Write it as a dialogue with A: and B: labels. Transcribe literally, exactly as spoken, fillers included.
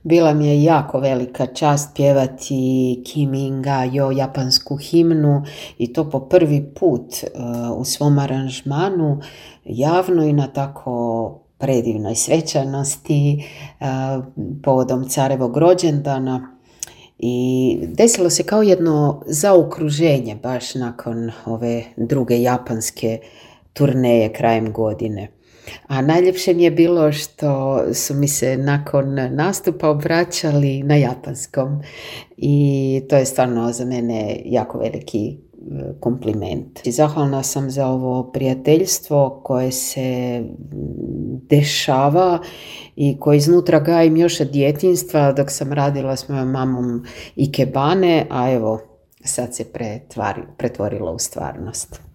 A: Bila mi je jako velika čast pjevati Kiminga Jo japansku himnu i to po prvi put uh, u svom aranžmanu javno i na tako predivnoj svečanosti uh, povodom carevog rođendana. I desilo se kao jedno zaokruženje baš nakon ove druge japanske turneje krajem godine. A najljepše mi je bilo što su mi se nakon nastupa obraćali na japanskom i to je stvarno za mene jako veliki kompliment. I zahvalna sam za ovo prijateljstvo koje se dešava i koje iznutra gajim još od djetinjstva dok sam radila s mojom mamom ikebane, a evo sad se pretvari, pretvorilo u stvarnost.